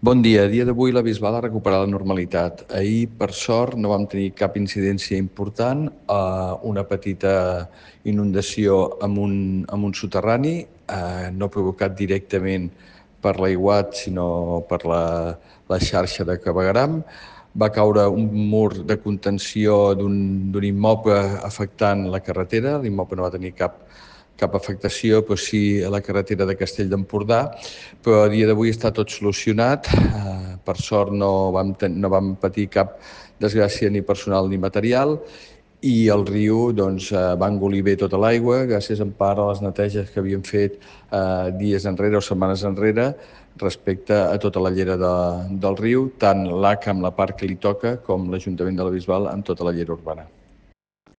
Bon dia. A dia d'avui la Bisbal ha recuperat la normalitat. Ahir, per sort, no vam tenir cap incidència important. Una petita inundació amb un soterrani, no provocat directament per l'aiguat, sinó per la xarxa de clavegueram. Va caure un mur de contenció d'un immoble afectant la carretera. L'immoble no va tenir cap afectació, però sí a la carretera de Castell d'Empordà, però a dia d'avui està tot solucionat. Per sort no vam patir cap desgràcia ni personal ni material, i el riu va engolir bé tota l'aigua gràcies en part a les neteges que havíem fet dies enrere o setmanes enrere respecte a tota la llera del riu, tant l'ACA amb la part que li toca com l'Ajuntament de la Bisbal amb tota la llera urbana.